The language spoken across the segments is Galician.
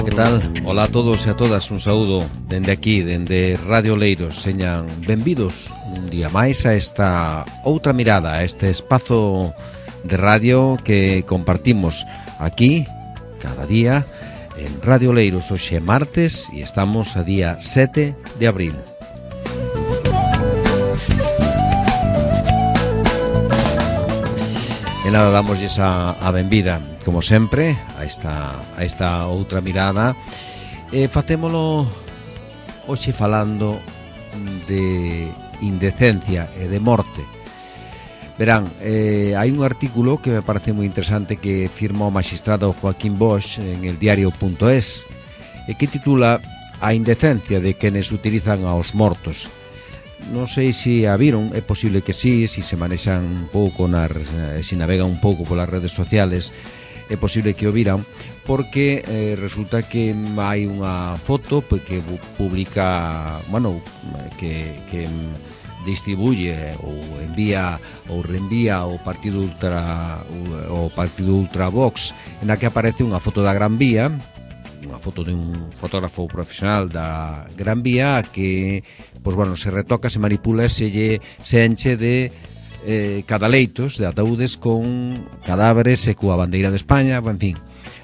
Ola, que tal? Ola a todos e a todas, un saúdo dende aquí, dende Radio Oleiros. Señan benvidos un día máis a esta outra mirada, a este espazo de radio que compartimos aquí cada día en Radio Oleiros. Hoxe é martes e estamos a día 7 de abril. E nada, damosles a benvida, como sempre, a esta outra mirada. Facémolo hoxe falando de indecencia e de morte. Verán, hai un artículo que me parece moi interesante que firma o magistrado Joaquín Bosch en el diario.es e que titula A indecencia de quenes utilizan aos mortos. Non sei se a viron, é posible que sí, se manexan un pouco, se navegan un pouco polas redes sociales, é posible que o viran, porque resulta que hai unha foto que publica, que distribuye ou envía ou reenvía o Partido Ultra Vox, na que aparece unha foto da Gran Vía, unha foto de un fotógrafo profesional da Gran Vía que, se retoca, se manipula, se enche de cadaleitos, de ataúdes con cadáveres e coa bandeira de España, en fin,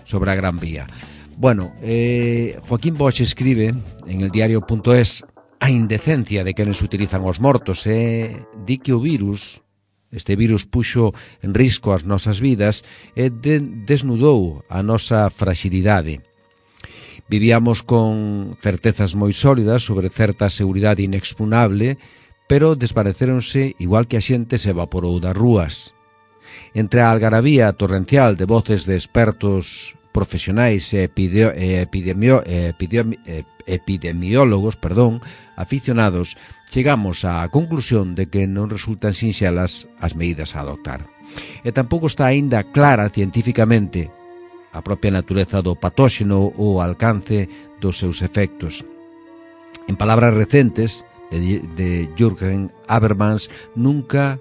sobre a Gran Vía. Joaquín Bosch escribe en el diario.es a indecencia de quenes utilizan os mortos e di que o virus, este virus puxo en risco as nosas vidas e desnudou a nosa fragilidade. Vivíamos con certezas moi sólidas sobre certa seguridade inexpugnable, pero desvanecéronse igual que a xente se evaporou das rúas. Entre a algarabía torrencial de voces de expertos profesionais e epidemiólogos, aficionados, chegamos á conclusión de que non resultan sinxelas as medidas a adoptar. E tampouco está aínda clara científicamente a propia natureza do patóxeno ou o alcance dos seus efectos. En palabras recentes de Jürgen Habermas, nunca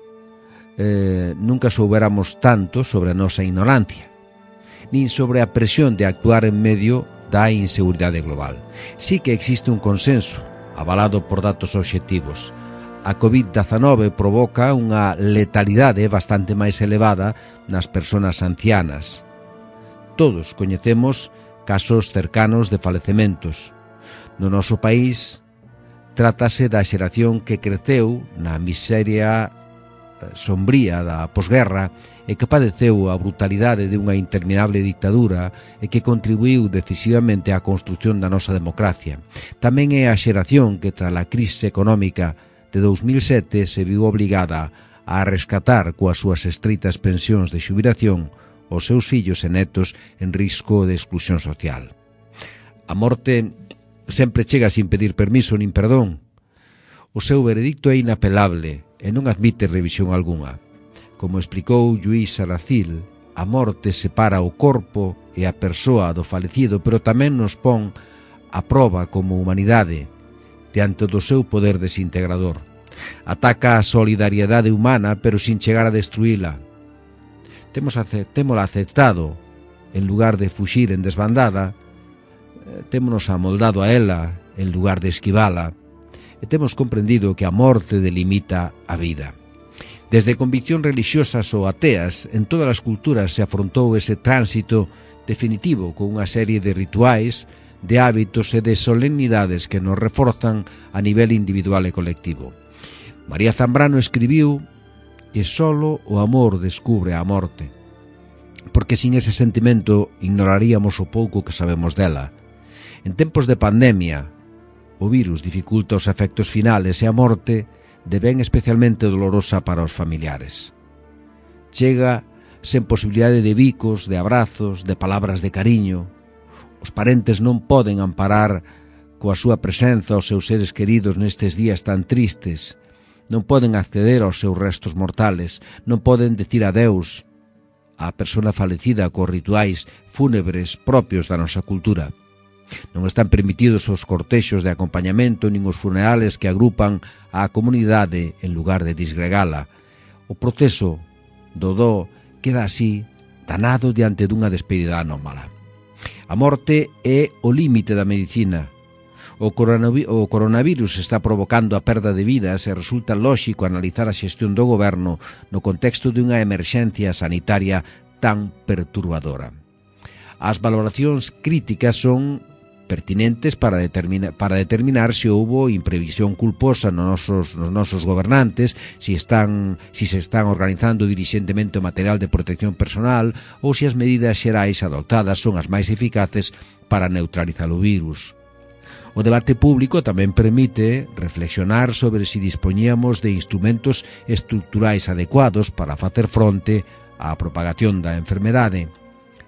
soubéramos tanto sobre a nosa ignorancia, nin sobre a presión de actuar en medio da inseguridade global. Sí que existe un consenso, avalado por datos obxectivos. A COVID-19 provoca unha letalidade bastante máis elevada nas persoas ancianas. Todos coñecemos casos cercanos de falecementos. No noso país trátase da xeración que creceu na miseria sombría da posguerra e que padeceu a brutalidade de unha interminable dictadura e que contribuiu decisivamente á construción da nosa democracia. Tamén é a xeración que, tras a crise económica de 2007, se viu obligada a rescatar coas súas estreitas pensións de xubilación os seus fillos e netos en risco de exclusión social. A morte sempre chega sin pedir permiso nin perdón. O seu veredicto é inapelable e non admite revisión algunha. Como explicou Lluís Saracil, a morte separa o corpo e a persoa do falecido, pero tamén nos pon a proba como humanidade diante do seu poder desintegrador. Ataca a solidariedade humana, pero sin chegar a destruíla. Témola aceptado en lugar de fuxir en desbandada, témonos amoldado a ela en lugar de esquivala, e temos comprendido que a morte delimita a vida. Desde conviccións religiosas ou ateas, en todas as culturas se afrontou ese tránsito definitivo con unha serie de rituais, de hábitos e de solemnidades que nos reforzan a nivel individual e colectivo. María Zambrano escribiu que solo o amor descubre a morte, porque sin ese sentimento ignoraríamos o pouco que sabemos dela. En tempos de pandemia, o virus dificulta os efectos finales e a morte devén especialmente dolorosa para os familiares. Chega sen posibilidade de bicos, de abrazos, de palabras de cariño. Os parentes non poden amparar coa súa presenza os seus seres queridos nestes días tan tristes. Non poden acceder aos seus restos mortales, non poden decir adeus á persona falecida cos rituais fúnebres propios da nosa cultura. Non están permitidos os cortexos de acompañamento nin os funerales que agrupan á comunidade en lugar de disgregala. O proceso do dó queda así danado diante dunha despedida anómala. A morte é o límite da medicina. O coronavirus está provocando a perda de vidas e resulta lóxico analizar a xestión do goberno no contexto dunha emerxencia sanitaria tan perturbadora. As valoracións críticas son pertinentes para determinar se houbo imprevisión culposa nos nosos gobernantes, se están organizando dirixentemente o material de protección personal ou se as medidas xerais adoptadas son as máis eficaces para neutralizar o virus. O debate público tamén permite reflexionar sobre se dispoñíamos de instrumentos estruturais adecuados para facer fronte á propagación da enfermedade.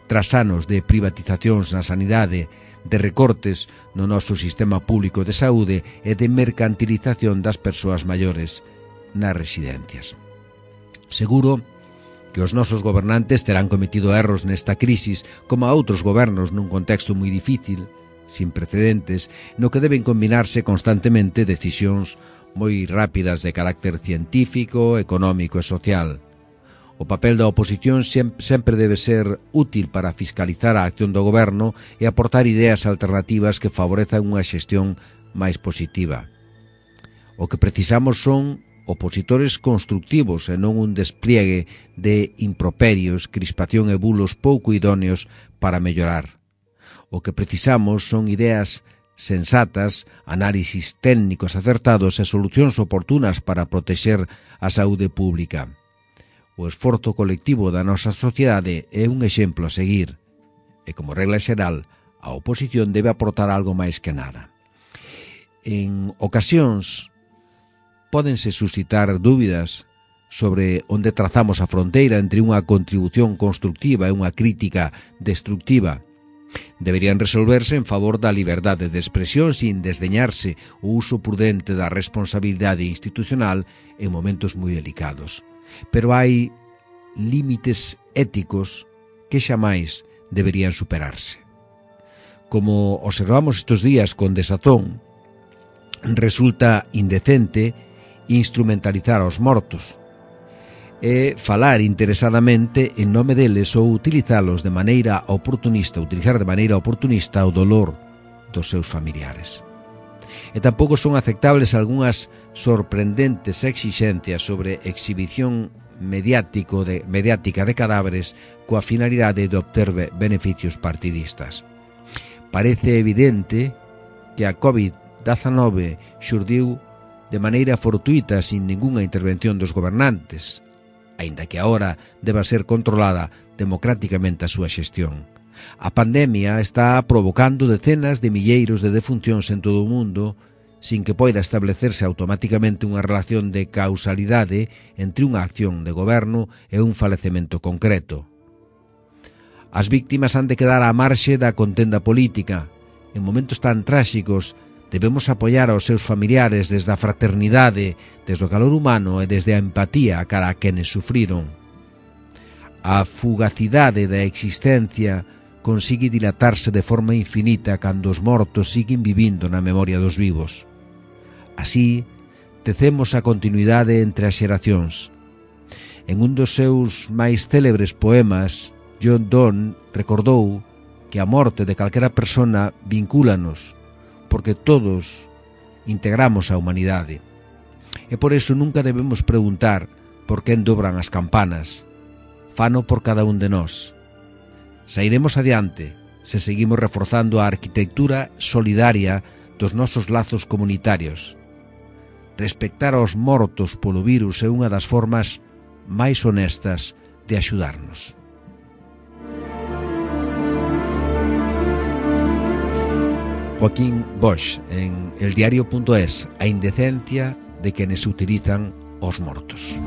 Tras anos de privatizacións na sanidade, de recortes no noso sistema público de saúde e de mercantilización das persoas maiores nas residencias. Seguro que os nosos gobernantes terán cometido erros nesta crisis, como a outros gobernos nun contexto moi difícil, sin precedentes, no que deben combinarse constantemente decisións moi rápidas de carácter científico, económico e social. O papel da oposición sempre debe ser útil para fiscalizar a acción do goberno e aportar ideas alternativas que favorezan unha xestión máis positiva. O que precisamos son opositores constructivos e non un despliegue de improperios, crispación e bulos pouco idóneos para mellorar. O que precisamos son ideas sensatas, análisis técnicos acertados e solucións oportunas para protexer a saúde pública. O esforzo colectivo da nosa sociedade é un exemplo a seguir e, como regla xeral, a oposición debe aportar algo máis que nada. En ocasións, pódense suscitar dúbidas sobre onde trazamos a fronteira entre unha contribución constructiva e unha crítica destructiva. Deberían resolverse en favor da liberdade de expresión sin desdeñarse o uso prudente da responsabilidade institucional en momentos moi delicados. Pero hai límites éticos que xamais deberían superarse. Como observamos estes días con desazón, resulta indecente instrumentalizar aos mortos e falar interesadamente en nome deles ou utilizar de maneira oportunista o dolor dos seus familiares. E tampouco son aceptables algunhas sorprendentes exixencias sobre exhibición mediática de cadáveres coa finalidade de obter beneficios partidistas. Parece evidente que a COVID-19 xurdiu de maneira fortuita sin ningunha intervención dos gobernantes, aínda que agora deba ser controlada democráticamente a súa xestión. A pandemia está provocando decenas de milleiros de defuncións en todo o mundo sin que poida establecerse automáticamente unha relación de causalidade entre unha acción de goberno e un falecemento concreto. As víctimas han de quedar á marxe da contenda política. En momentos tan tráxicos debemos apoiar aos seus familiares desde a fraternidade, desde o calor humano e desde a empatía cara a quenes sufriron. A fugacidade da existencia consigue dilatarse de forma infinita cando os mortos siguen vivindo na memoria dos vivos. Así, tecemos a continuidade entre as xeracións. En un dos seus máis célebres poemas, John Donne recordou que a morte de calquera persona vincúlanos, porque todos integramos a humanidade. E por eso nunca debemos preguntar por quen dobran as campanas. Fano por cada un de nós. Sairemos adiante se seguimos reforzando a arquitectura solidaria dos nosos lazos comunitarios. Respectar aos mortos polo virus é unha das formas máis honestas de axudarnos. Joaquín Bosch, en eldiario.es, a indecencia de quienes utilizan os mortos.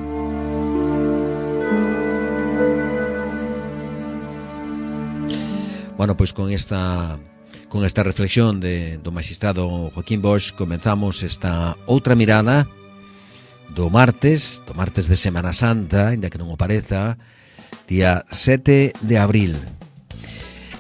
Bueno, pois con esta reflexión do magistrado Joaquín Bosch comenzamos esta outra mirada do martes de Semana Santa, ainda que non o pareza, día 7 de abril.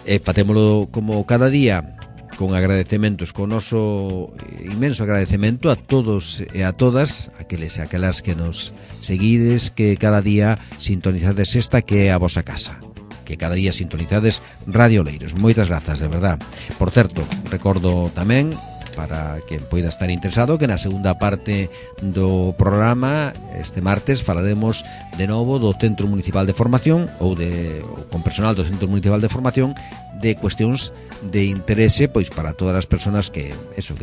E facémolo como cada día, con agradecementos, con o noso inmenso agradecemento a todos e a todas, aqueles e aquelas que nos seguides, que cada día sintonizades esta que é a vosa casa. que cada día sintonizades Radio Oleiros. Moitas grazas, de verdad. Por certo, recordo tamén, para quen poida estar interesado, que na segunda parte do programa este martes falaremos de novo do Centro Municipal de Formación ou con personal do Centro Municipal de Formación, de cuestións de interese pois para todas as persoas que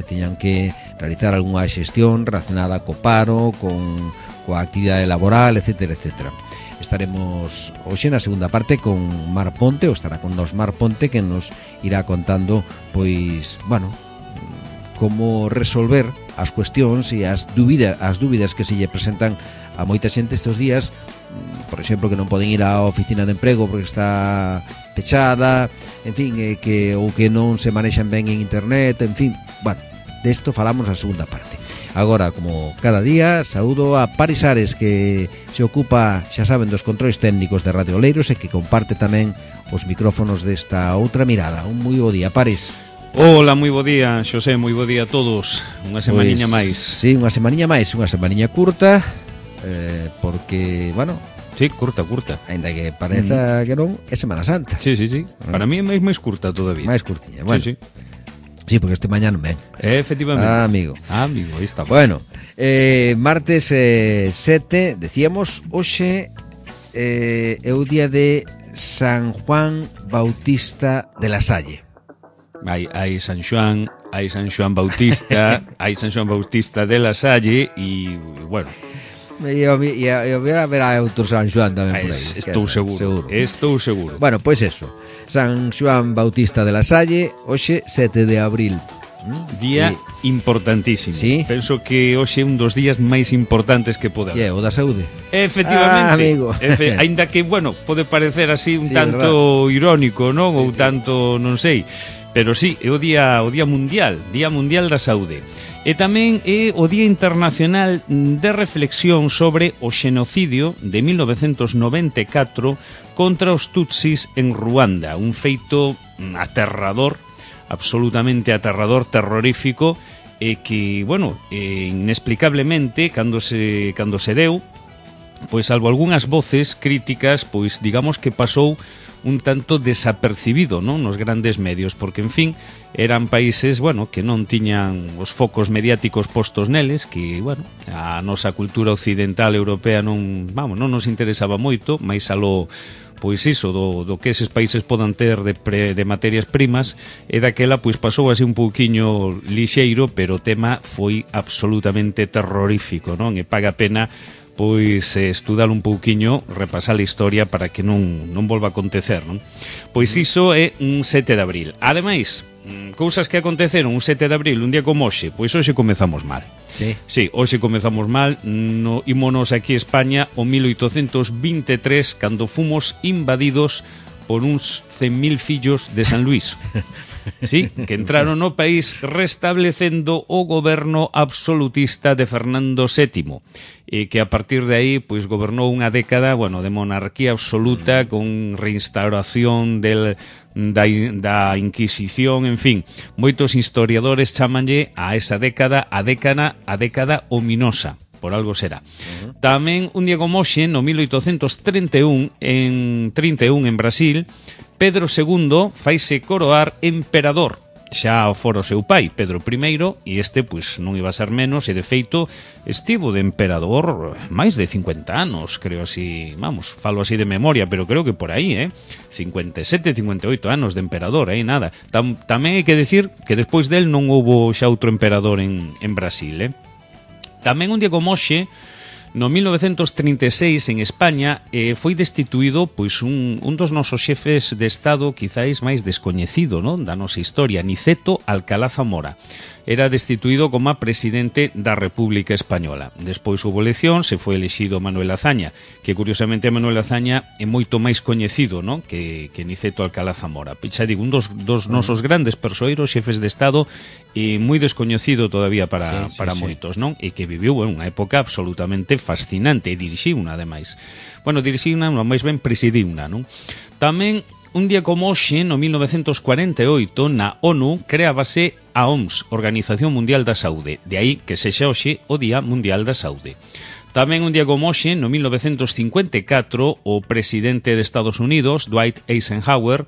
tiñan que realizar algunha xestión relacionada co paro, coa actividade laboral, etcétera, etcétera. Estaremos hoxe na segunda parte con Mar Ponte, ou estará con nos Mar Ponte, que nos irá contando pois, como resolver as cuestións e as dúbidas que se lle presentan a moita xente estes días, por exemplo, que non poden ir á oficina de emprego porque está pechada, en fin, que non se manexan ben en internet, en fin, desto falamos na segunda parte. Agora, como cada día, saúdo a Paris Ares, que se ocupa, xa saben, dos controis técnicos de Radio Oleiros e que comparte tamén os micrófonos desta outra mirada. Un moi bo día, Paris. Hola, moi bo día, Xosé, moi bo día a todos. Unha semaniña máis. Sí, unha semaniña máis, unha semaniña curta, porque, sí, curta. Ainda que pareza que non, é Semana Santa. Sí. Para mí é máis curta todavía. Máis curtiña, bueno. Sí, porque este mañá non ven. Efectivamente. Amigo, aí está. Bueno, martes 7, decíamos, hoxe é o día de San Juan Bautista de la Salle. Hai San Xoán Bautista, hai San Xoán Bautista de la Salle e, bueno... E haberá outro San Xoán tamén por aí. Estou seguro. Bueno, pois eso, San Xoán Bautista de la Salle, hoxe 7 de abril. Día importantísimo. ¿Sí? Penso que hoxe é un dos días máis importantes que pode haber. O da saúde. Efectivamente. Amigo. Aínda que, pode parecer así un tanto irónico, non? Ou tanto, non sei. Pero sí, é o Día Mundial da Saúde. E tamén é o Día Internacional de Reflexión sobre o xenocidio de 1994 contra os Tutsis en Ruanda, un feito aterrador, absolutamente aterrador, terrorífico, e que, inexplicablemente, cando se deu, pois salvo algunhas voces críticas, pois digamos que pasou un tanto desapercibido, non, nos grandes medios, porque, en fin, eran países, que non tiñan os focos mediáticos postos neles, que, a nosa cultura occidental europea non nos interesaba moito, máis aló, pois iso, do que eses países podan ter de materias primas, e daquela, pois pasou así un pouquiño lixeiro, pero o tema foi absolutamente terrorífico, non, e paga pena pois estudar un pouquiño, repasar a historia para que non volva a acontecer, non? Pois iso é un 7 de abril. Ademais, cousas que aconteceron un 7 de abril, un día como hoxe, pois hoxe comezamos mal. Sí, hoxe comezamos mal, ímonos aquí a España o 1823, cando fomos invadidos por uns 100.000 fillos de San Luís. Sí, que entraron no país restablecendo o goberno absolutista de Fernando VII, e que a partir de aí pois gobernou unha década, de monarquía absoluta, con reinstauración da Inquisición, en fin, moitos historiadores chamanlle a esa década a década ominosa. Por algo será. Tamén un día como hoxe, no 1831, en Brasil, Pedro II faise coroar emperador. Xa o fora o seu pai, Pedro I, e este, pois, non iba a ser menos, e de feito estivo de emperador máis de 50 anos, creo así, falo así de memoria, pero creo que por aí, 57, 58 anos de emperador, nada. Tamén hai que decir que despois del non houbo xa outro emperador en Brasil, Tamén un día como hoxe, no 1936, en España, foi destituído pois un dos nosos xefes de Estado quizáis máis descoñecido, non, da nosa historia, Niceto Alcalá Zamora. Era destituído como presidente da República Española. Despois houve elección, se foi elexido Manuel Azaña, que curiosamente Manuel Azaña é moito máis coñecido, non, que Niceto Alcalá Zamora. Xa digo, un dos nosos grandes persoeiros, xefes de Estado, e moi descoñecido todavía para moitos, non? E que viviu unha época absolutamente fascinante, e dirixiuna, ademais. Dirixiuna, máis ben presidiuna, non? Tamén, un día como hoxe, no 1948, na ONU, creábase a OMS, Organización Mundial da Saúde. De aí que sexa hoxe o Día Mundial da Saúde. Tamén un día como hoxe, no 1954, o presidente de Estados Unidos, Dwight Eisenhower,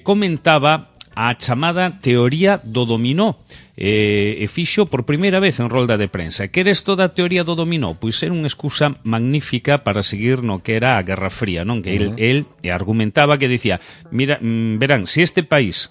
comentaba a chamada teoría do dominó, e fixo por primeira vez en rolda de prensa. Que era isto da teoría do dominó? Pois era unha excusa magnífica para seguir no que era a Guerra Fría, non? Que el argumentaba que dicía, mira, verán, se este país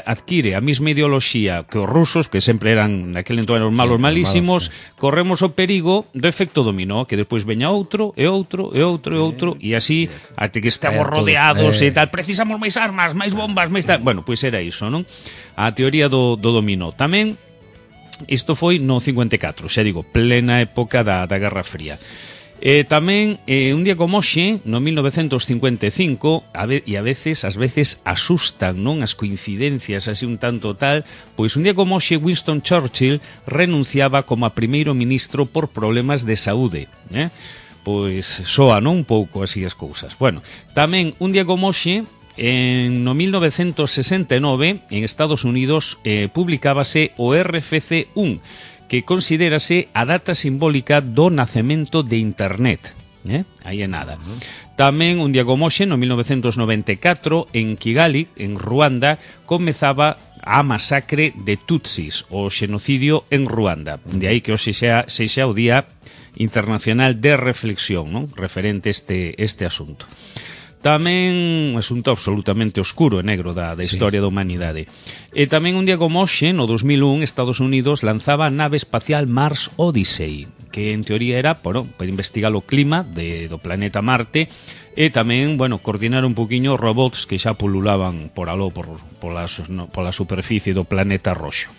adquire a mesma ideoloxía que os rusos, que sempre eran, naquele entón eran malos malísimos, corremos o perigo do efecto dominó, que despois veña outro, e outro, e outro, e outro, e así, até que estamos rodeados e tal, precisamos máis armas, máis bombas, máis tal. Bueno, pois era iso, non? A teoría do dominó. Tamén, isto foi no 54, xa digo, plena época da Guerra Fría. Tamén, un día como hoxe, no 1955, e ás veces asustan, non, as coincidencias así un tanto tal, pois un día como hoxe Winston Churchill renunciaba como a primeiro ministro por problemas de saúde, pois soa, non, un pouco así as cousas. Bueno, tamén un día como hoxe, no 1969, en Estados Unidos, publicábase o RFC-1, que considérase a data simbólica do nacemento de Internet. Aí é nada. Tamén, un día como hoxe, no 1994, en Kigali, en Ruanda, comezaba a masacre de Tutsis, o xenocidio en Ruanda. De aí que hoxe sexa o Día Internacional de Reflexión, non? Referente este asunto. Tamén un asunto absolutamente oscuro e negro da historia da humanidade. E tamén un día como hoxe, no 2001, Estados Unidos lanzaba a nave espacial Mars Odyssey, que en teoría era para investigar o clima do planeta Marte e tamén, coordinar un poquinho robots que xa pululaban por aló, pola superficie do planeta roxo.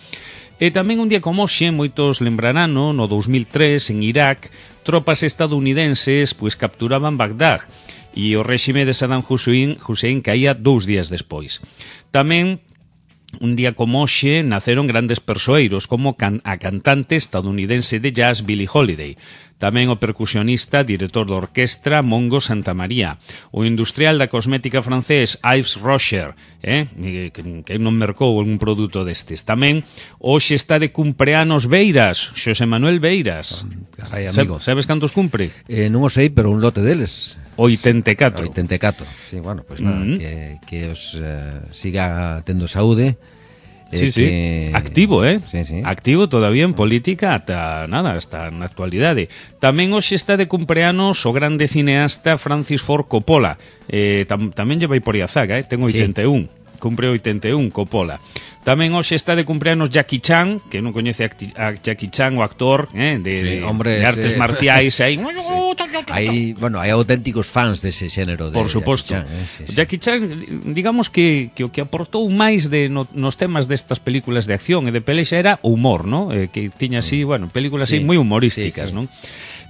E tamén un día como hoxe, moitos lembrarán, no 2003, en Irak, tropas estadounidenses capturaban Bagdad, e o réxime de Saddam Hussein caía 2 días despois. Tamén, un día como hoxe, naceron grandes persoeiros, como a cantante estadounidense de jazz Billie Holiday, tamén o percusionista, director da orquestra Mongo Santamaría, o industrial da cosmética francés Yves Rocher, que non mercou algún produto destes. Tamén, hoxe está de cumpleanos Beiras, Xosé Manuel Beiras. Carai, amigo. Sabes cantos cumpre? Non o sei, pero un lote deles. 84. Sí, bueno, pues nada, que os siga tendo saúde. Sí. Activo, Sí. Activo todavía en política hasta na actualidade. Tamén hoxe está de cumpleanos o grande cineasta Francis Ford Coppola. Tamén lle vai por aí a zaga, ten 81. Cumpre 81 Coppola. Tamén hoxe está de cumpleanos Jackie Chan, que non coñece a Jackie Chan, o actor de artes marciais. Hai auténticos fans dese xénero de por suposto. Jackie Chan, digamos que o que aportou máis nos temas destas películas de acción e de pelexa era o humor, ¿no? Que tiña así, películas así moi humorísticas, ¿no?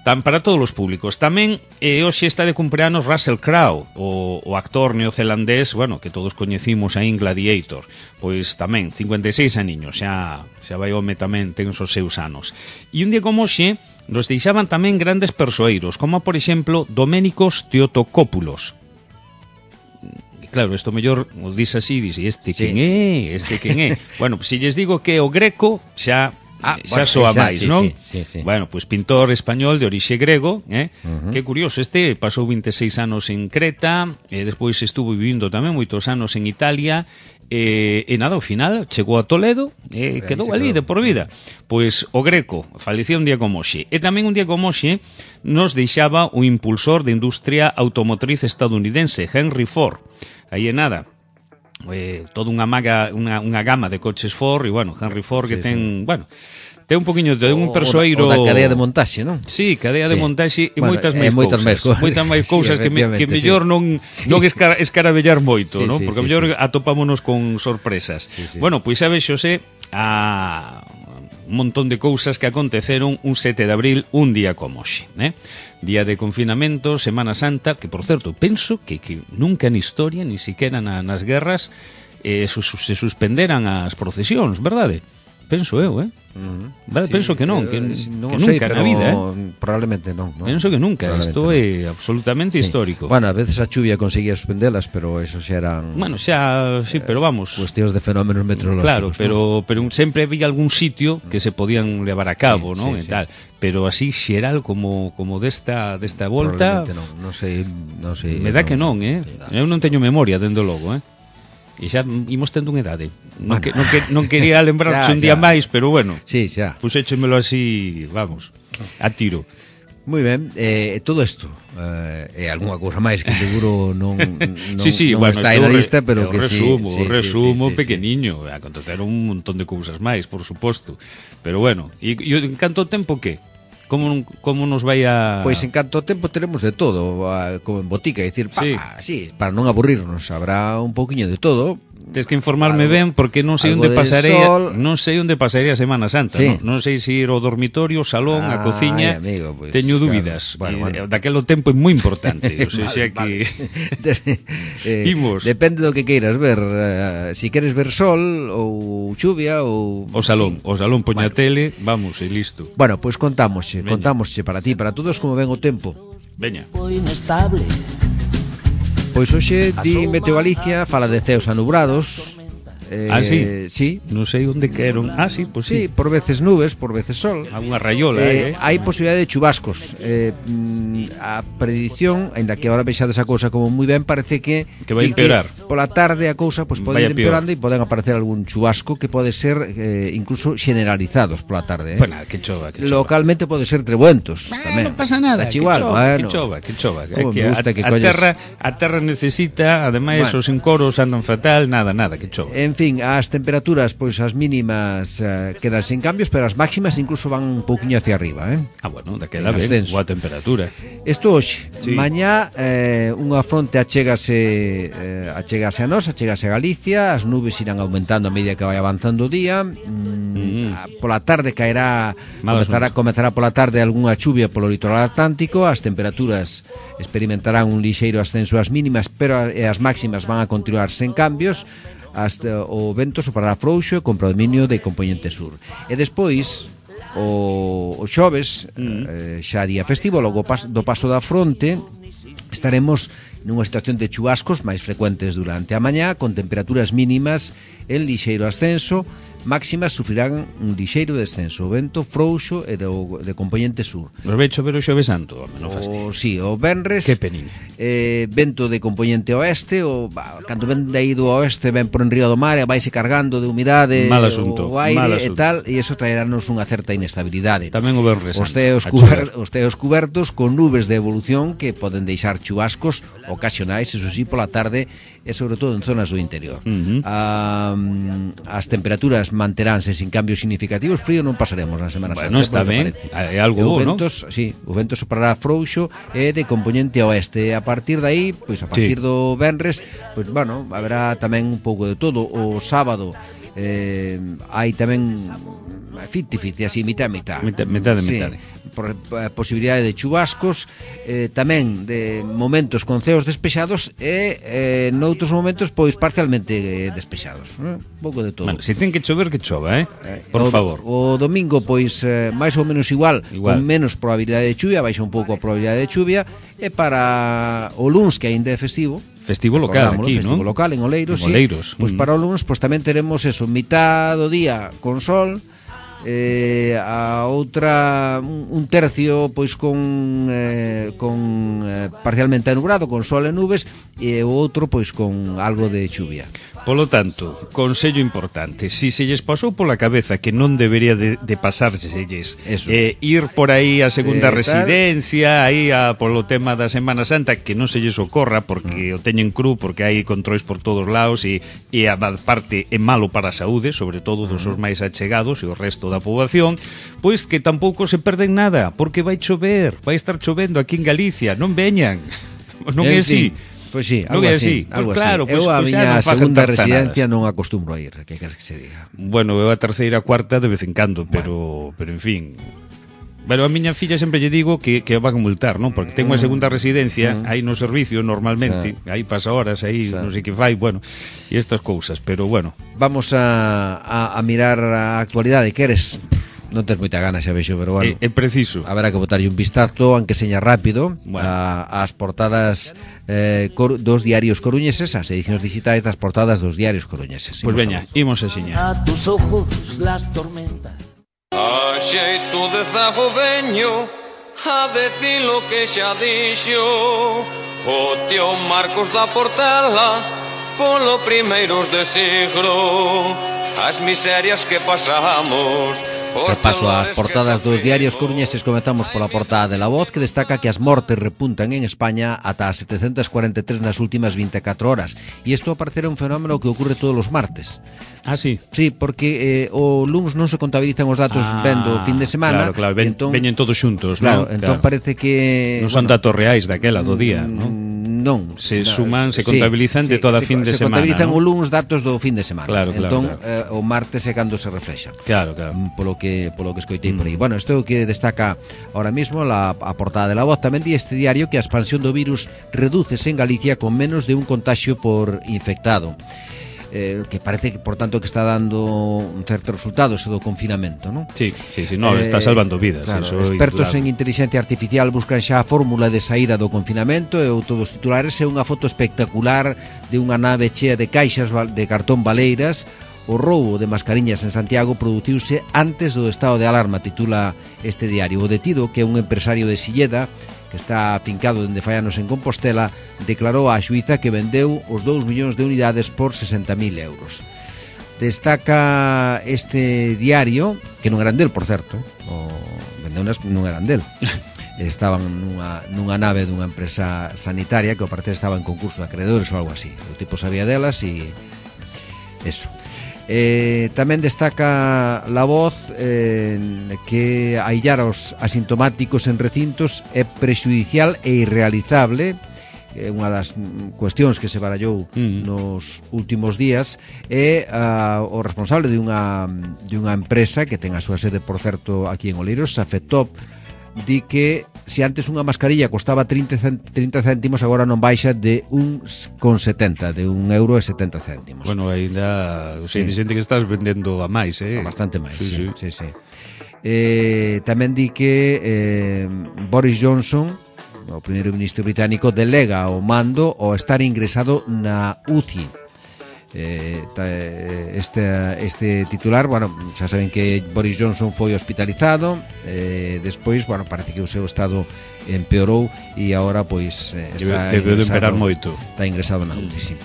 Tan para todos os públicos. Tamén hoxe está de cumpleanos Russell Crowe, o actor neozelandés, que todos coñecimos aí en Gladiator. Pois tamén, 56 aniños, xa vai home tamén, ten os seus anos. E un día como hoxe, nos deixaban tamén grandes persoeiros, como por exemplo Doménicos Teotocópulos. Claro, isto mellor o dis así, quen é? Bueno, se lles digo que o Greco xa soa máis, non? Sí. Bueno, pois pintor español de orixe grego, que curioso, pasou 26 anos en Creta, despois estuvo vivindo tamén moitos anos en Italia, e nada, ao final chegou a Toledo e quedou ali de por vida. Pois o Greco falecía un día como hoxe. E tamén un día como hoxe nos deixaba o impulsor de industria automotriz estadounidense, Henry Ford. Aí é nada, toda unha gama de coches Ford, e Henry Ford que ten un poquinho de un persoeiro da cadea de montaxe, non? Sí, cadea de montaxe e moitas máis cousas que mellor non escaravellar moito, non? Porque mellor atopámonos con sorpresas. Pois sabes, Xosé, un montón de cousas que aconteceron un 7 de abril, un día como hoxe, día de confinamento, Semana Santa, que por certo, penso que nunca na historia, ni siquiera nas guerras, se suspenderan as procesións, verdade? penso eu, Vale, Sí, penso que non, que non nunca sei, pero na vida, probablemente non, non. Penso que nunca, isto é absolutamente Sí. histórico. Bueno, a veces a chuvia conseguía suspendelas, pero eso xa eran Bueno, xa, sí, pero vamos. cuestións de fenómenos meteorológicos. Claro, pero sempre había algún sitio que se podían levar a cabo, Sí, non? sí, E tal. Pero así xeral como desta volta, non sei. me dá que non, Eu non teño memoria, dende logo, E xa imos tendo unha idade. Non quería lembrarche un día máis, pero bueno. Sí, xa. Puxéchemelo así, vamos, a tiro. Moi ben, todo isto e algunha cousa máis que seguro non Sí, non bueno, está aí na lista, pero que resumo pequeniño, aconteceron un montón de cousas máis, por suposto. Pero bueno, e en canto tempo que? Como nos vai a... Pois en canto ao tempo teremos de todo, como en botica, é dicir, para non aburrirnos, habrá un pouquiño de todo. Tens que informarme ben porque non sei onde pasarei, non sei onde pasarei a Semana Santa, non sei se ir ao dormitorio, ao salón, á cociña. Amigo, pues, teño dúbidas. Bueno. Daquelo tempo é moi importante, o sea, que imos. Depende do que queiras ver, si queres ver sol ou chuvia ou o salón poña a tele, vamos, e listo. Bueno, pois contámosche para ti, para todos como ven o tempo. Veña. Inestable. Pois hoxe di Meteo Galicia fala de ceos anubrados. Sí? Sí. Non sei onde queron. Sí, pois sí. Por veces nubes, por veces sol. Unha raiola, hai posibilidade de chubascos. A predición, aínda que agora vexades a cousa como moi ben, parece que vai empeorar. Pola tarde a cousa pode ir empeorando e poden aparecer algún chubasco que pode ser incluso generalizados pola tarde. Bueno, que chova. Localmente pode ser trebuentos tamén. Non pasa nada. Que chova. A terra necesita, ademais os encoros andan fatal, nada, que chova. En fin, as temperaturas, pois as mínimas quedan sen cambios, pero as máximas incluso van un pouquiño hacia arriba, bueno, daquela ben, boa temperatura. Isto hoxe, mañá unha fronte achégase a nós, achégase a Galicia, as nubes irán aumentando a medida que vai avanzando o día, pola tarde comezará pola tarde algunha chuvia polo litoral atlántico, as temperaturas experimentarán un lixeiro ascenso ás mínimas, pero as máximas van a continuar sen cambios. O vento soprará frouxo e con predominio de componente sur. E despois o xoves, xa día festivo, logo do paso da fronte, estaremos nunha situación de chubascos máis frecuentes durante a mañá, con temperaturas mínimas en lixeiro ascenso, máximas sufrirán un lixeiro descenso, o vento frouxo e de componente sur. Nos vai chover o Xoves Santo, non fastidio. Sí, o venres. Que peniña. Vento de componente oeste, cando ven de aí do oeste, ven por enriba do mar e vaise cargando de humidade o aire e tal, e iso traerá-nos unha certa inestabilidade. Tamén o venres. Os teos cubertos con nubes de evolución que poden deixar chubascos ocasionais, eso sí, pola tarde e sobre todo en zonas do interior. As temperaturas manteránse sin cambios significativos, frío non pasaremos na Semana Santa. Bueno, está ben, é algo bo, non? Sí, o vento soprará frouxo e de componente oeste. A partir de aí, pois a partir do venres, pois bueno, haberá tamén un pouco de todo. O sábado hai tamén 50-50, así, mitad. Metade. Por posibilidade de chubascos, tamén de momentos con ceos despexados e noutros momentos pois parcialmente despexados, un pouco de todo. Bueno, se ten que chover, que chova, por favor. O domingo pois máis ou menos igual, con menos probabilidade de chuvia, baixa un pouco a probabilidade de chuvia, e para o luns, que aínda é festivo local aquí, non? Festivo local en Oleiros, sí. Pois para o luns pois tamén teremos eso, mitad do día con sol, a outra un tercio pois con parcialmente nublado, con sol e nubes, e o outro pois con algo de chuvia. Polo tanto, consello importante, si se lles pasou pola cabeza que non debería de pasárselles ir por aí a segunda residencia, aí polo tema da Semana Santa, que non se lles ocorra porque o teñen cru, porque hai controis por todos lados e a parte é malo para a saúde, sobre todo dos os máis achegados e o resto da poboación, pois que tampouco se perden nada, porque vai chover, vai estar chovendo aquí en Galicia, non veñan, non é así. Pois sí, algo así. Claro, eu a miña segunda residencia non acostumbro a ir, que queres que se diga. Bueno, eu a terceira, cuarta de vez en cando, pero en fin. Pero a miña filla sempre lle digo que van a multar, non? Porque ten unha segunda residencia aí no servicio normalmente, aí pasa horas, aí non sei que fai, bueno, e estas cousas, pero bueno. Vamos a mirar a actualidade, queres? Non tens moita gana, xa vexo, pero bueno. É preciso. Haberá que botarlle un vistazo, aunque seña rápido, bueno, ás portadas dos diarios coruñeses, as edicións digitais das portadas dos diarios coruñeses. Pois veña, imos a seña. A tus ojos las tormentas. A xeito de zago veño a decir lo que xa dixo o tío Marcos da Portela polo primeiros de siglo. As miserias que pasamos. Repaso ás portadas dos diarios coruñeses. Comezamos pola portada de La Voz, que destaca que as mortes repuntan en España ata as 743 nas últimas 24 horas. E isto parecerá un fenómeno que ocurre todos os martes. Ah, sí? Sí, porque o luns non se contabilizan os datos vendo o fin de semana. Claro, veñen todos xuntos, claro, non? Entón parece que... Non son datos reais daquela do día, non? Non. Se suman, se contabilizan de toda fin de se semana. Se contabilizan ¿no? o luns datos do fin de semana. Claro, entón, claro. O martes é cando se reflexa. Claro, claro. Polo que escoitei por aí. Bueno, isto é o que destaca ahora mismo a portada de La Voz. Tamén di este diario que a expansión do virus redúcese en Galicia con menos de un contagio por infectado. Que parece que, por tanto, que está dando un certo resultado ese do confinamento, non? Sí, no, está salvando vidas. Claro, eso expertos en inteligencia artificial buscan xa a fórmula de saída do confinamento e o todos titulares é unha foto espectacular de unha nave chea de caixas de cartón baleiras. O roubo de mascariñas en Santiago produciuse antes do estado de alarma, titula este diario. O detido, que é un empresario de Silleda, que está afincado dende fai anos en Compostela, declarou á xuíza que vendeu os 2 millóns de unidades por 60.000 euros. Destaca este diario, que non eran del, por certo, vendeunas non eran del. Estaban nunha nave dunha empresa sanitaria que ao parecer estaba en concurso de acreedores ou algo así. O tipo sabía delas e eso. Tamén destaca La Voz que aillar aos asintomáticos en recintos é prexudicial e irrealizable. Unha das cuestións que se barallou nos últimos días é o responsable de unha empresa que ten a súa sede, por certo, aquí en Oleiros, Safetop, di que se antes unha mascarilla costaba 30 céntimos, agora non baixa de 1,70, de €1,70. Bueno, ainda sei xente que estás vendendo a máis, bastante máis, sí. Tamén di que Boris Johnson, o primeiro ministro británico, delega o mando ao estar ingresado na UCI. Este titular, bueno, xa saben que Boris Johnson foi hospitalizado, despois, bueno, parece que o seu estado empeorou e agora pois está ingresado na UCI, sí.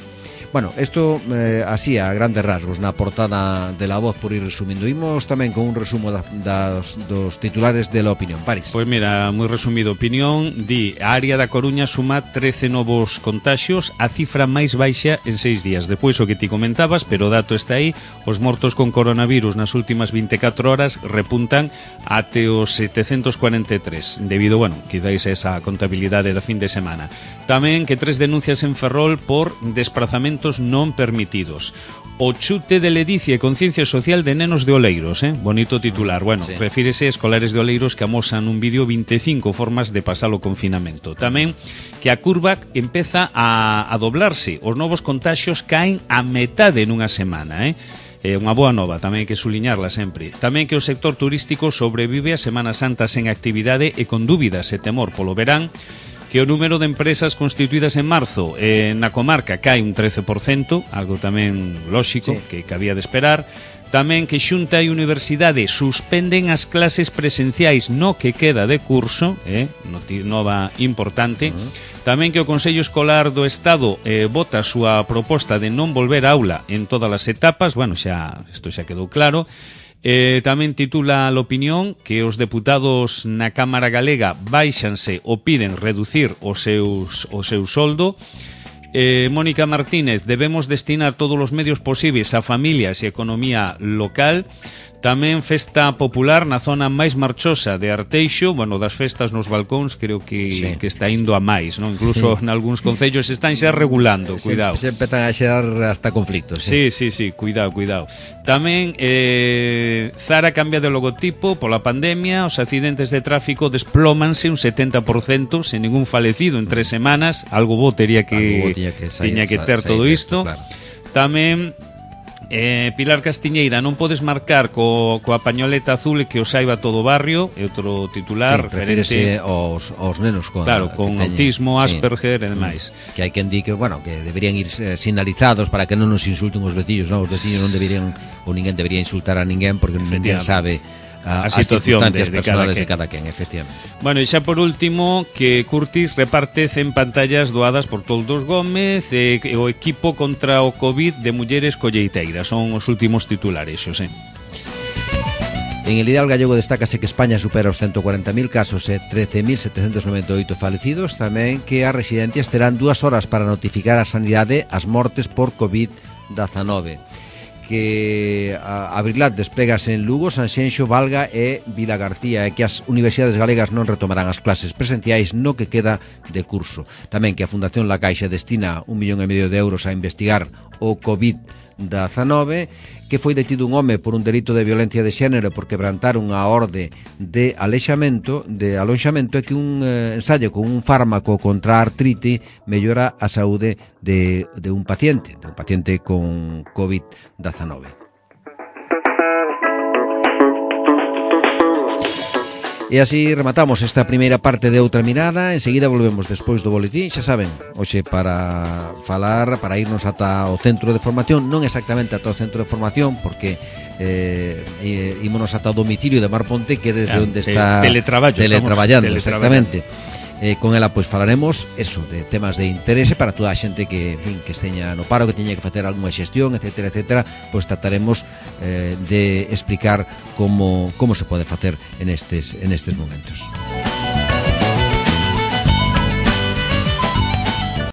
Bueno, isto así a grandes rasgos na portada de La Voz, por ir resumindo. Imos tamén con un resumo dos titulares de La Opinión. Paris. Pois mira, moi resumido. Opinión di: a área da Coruña suma 13 novos contaxios, a cifra máis baixa en 6 días. Depois o que ti comentabas, pero o dato está aí, os mortos con coronavirus nas últimas 24 horas repuntan até os 743, debido, bueno, quizáis a esa contabilidade da fin de semana. Tamén que 3 denuncias en Ferrol por desprazamentos non permitidos. O chute de ledicia e conciencia social de nenos de Oleiros, bonito titular. Bueno, sí. Refírese a escolares de Oleiros que amosan un vídeo 25 formas de pasar o confinamento. Tamén que a curva empeza a doblarse. Os novos contaxios caen a metade nunha semana, unha boa nova, tamén hai que suliñarla sempre. Tamén que o sector turístico sobrevive a Semana Santa sen actividade e con dúbidas e temor polo verán, que o número de empresas constituídas en marzo na comarca cae un 13%, algo tamén lóxico, sí, que cabía de esperar. Tamén que Xunta e Universidade suspenden as clases presenciais no que queda de curso, nova importante. Tamén que o Consello Escolar do Estado vota a súa proposta de non volver a aula en todas as etapas. Bueno, isto xa quedou claro. Tamén titula a Opinión que os deputados na Cámara Galega baixanse ou piden reducir o seu soldo. Mónica Martínez: debemos destinar todos os medios posibles a familias e economía local. Tamén festa popular na zona máis marchosa de Arteixo, bueno, das festas nos balcóns creo que está indo a máis, non? Incluso nalgúns concellos están xa regulando, cuidado. Se empezan a xerar hasta conflictos. Sí, cuidado. Tamén Zara cambia de logotipo pola pandemia, os accidentes de tráfico desplómanse un 70% sen ningún falecido en 3 semanas, algo bo tiña que ter todo isto. Claro. Tamén Pilar Castiñeira, non podes marcar coa pañoleta azul e que o saiba todo o barrio, é outro titular referente aos nenos con autismo, Asperger e demais. Que hai quen di que, bueno, que deberían ir sinalizados para que non nos insulten os veciños, non? Os veciños non deberían, ou ninguén debería insultar a ninguén porque ninguén sabe a situación circunstancias personales de cada quen, efectivamente. Bueno, e xa por último, que Curtis reparte 100 pantallas doadas por Toldos Gómez e o equipo contra o COVID de mulleres colleiteiras. Son os últimos titulares, Xosé. En el ideal gallego destácase que España supera os 140.000 casos e 13.798 falecidos. Tamén que as residencias terán 2 horas para notificar a sanidade as mortes por COVID-19. Que a Abrilat desplegase en Lugo, Sanxenxo, Valga e Vilagarcía, e que as universidades galegas non retomarán as clases presenciais no que queda de curso. Tamén que a Fundación La Caixa destina 1,5 millón de euros a investigar o COVID-19, que foi detido un home por un delito de violencia de xénero por quebrantar unha orde de alonxamento e que un ensayo con un fármaco contra a artrite mellora a saúde de un paciente con COVID-19. E así rematamos esta primeira parte de Outra Mirada. Enseguida volvemos despois do boletín. Xa saben, hoxe para irnos ata o centro de formación, non exactamente ata o centro de formación, porque ímonos ata o domicilio de Mar Ponte, que desde onde está teletraballando, exactamente. Con ela pois falaremos eso, de temas de interese para toda a xente que, en fin, que esteña no paro, que teña que facer algunha xestión, etcétera, pois trataremos de explicar como se pode facer en estes momentos.